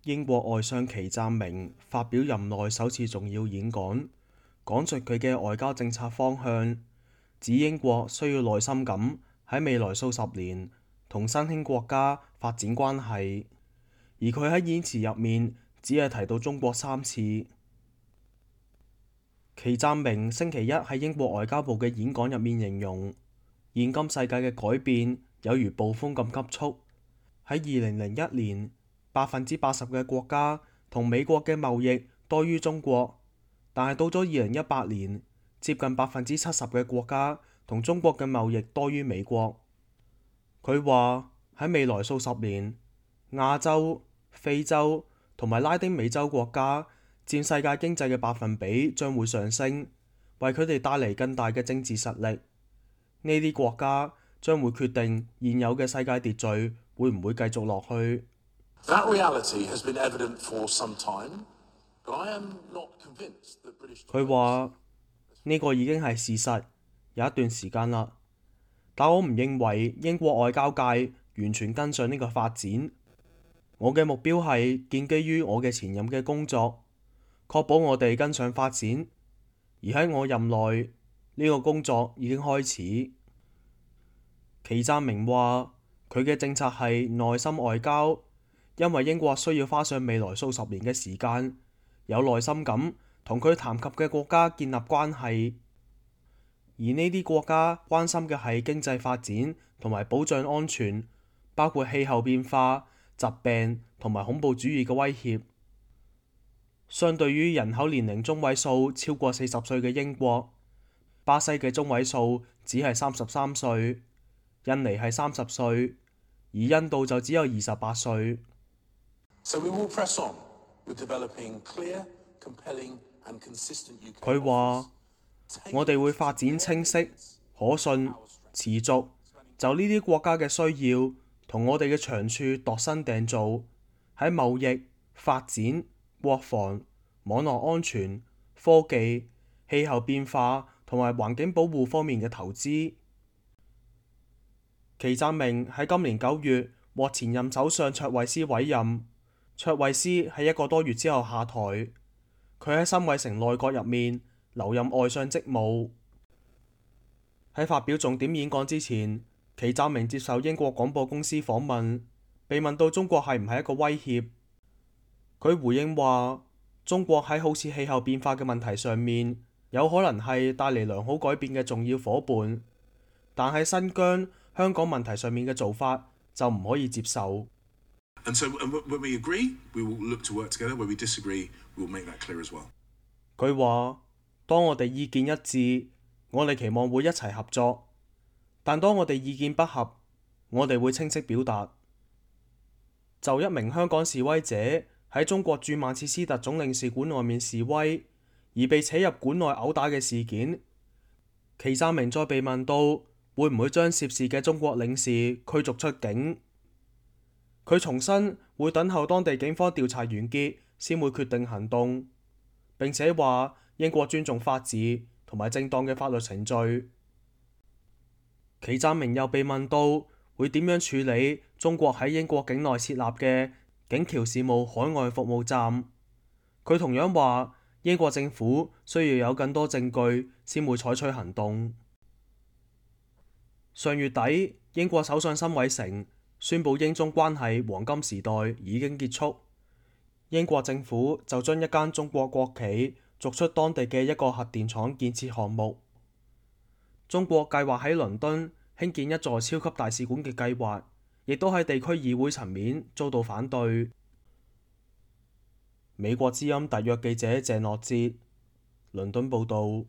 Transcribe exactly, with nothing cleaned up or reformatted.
英國外相祁湛明發表任內首次重要演講，講述佢嘅外交政策方向，指英國需要耐心咁喺未來數十年同新興國家發展關係，而佢喺演辭入面只係提到中國三次。祁湛明星期一喺英國外交部嘅演講入面形容，現今世界嘅改變有如暴風咁急速。喺二零零一年，百分之八十嘅國家同美國嘅貿易多於中國，但係到咗二零一八年，接近百分之七十嘅國家同中國嘅貿易多於美國。佢話喺未來數十年，亞洲、非洲同埋拉丁美洲國家佔世界經濟嘅百分比將會上升，為佢哋帶嚟更大嘅政治實力。呢啲國家將會決定現有嘅世界秩序會唔會繼續落去。佢話呢個已經係事實，有一段時間啦。但我唔認為英國外交界完全跟上呢個發展。我嘅目標係建基於我嘅前任嘅工作，確保我哋跟上發展。而喺我任內，呢個工作已經開始。祁湛明話佢嘅政策係耐心外交，因為英國需要花上未來數十年嘅時間，有耐心咁同佢談及嘅國家建立關係，而呢啲國家關心嘅係經濟發展同埋保障安全，包括氣候變化、疾病同埋恐怖主義嘅威脅。相對於人口年齡中位數超過四十歲嘅英國，巴西嘅中位數只係三十三歲，印尼係三十歲，而印度就只有二十八歲。佢話：我哋會發展清晰、可信、持續，就呢啲國家嘅需要同我哋嘅長處度身訂造，喺貿易、發展、國防、網絡安全、科技、氣候變化同埋環境保護方面嘅投資。祁湛明喺今年九月獲前任首相卓慧思委任，卓慧思喺一個多月之後下台。佢喺辛偉誠內閣入面留任外相職務。喺發表重點演講之前，祁湛明接受英國廣播公司訪問，被問到中國係唔係一個威脅，佢回應話：中國喺好似氣候變化嘅問題上面，有可能係帶嚟良好改變嘅重要夥伴，但喺新疆、香港問題上面嘅做法就唔可以接受。佢話：當我哋意見一致，我哋期望會一齊合作；但當我哋意見不合，我哋會清晰表達。就一名香港示威者喺中國駐曼徹斯特總領事館外面示威，而被扯入館內毆打嘅事件，祁湛明再被問到會唔會將涉事嘅中國領事驅逐出境，佢重申會等候當地警方調查完結先會決定行動，並且話英國尊重法治同埋正當嘅法律程序。祁湛明又被問到會點樣處理中國喺英國境內設立嘅警僑事務海外服務站，佢同樣話英國政府需要有更多證據先會採取行動。上月底，英國首相辛偉誠宣布英中關係黃金時代已經結束，英國政府就將一間中國國企逐出當地嘅一個核電廠建設項目。中國計劃喺倫敦興建一座超級大使館嘅計劃，亦都喺地區議會層面遭到反對。美國之音特約記者謝諾哲，倫敦報導。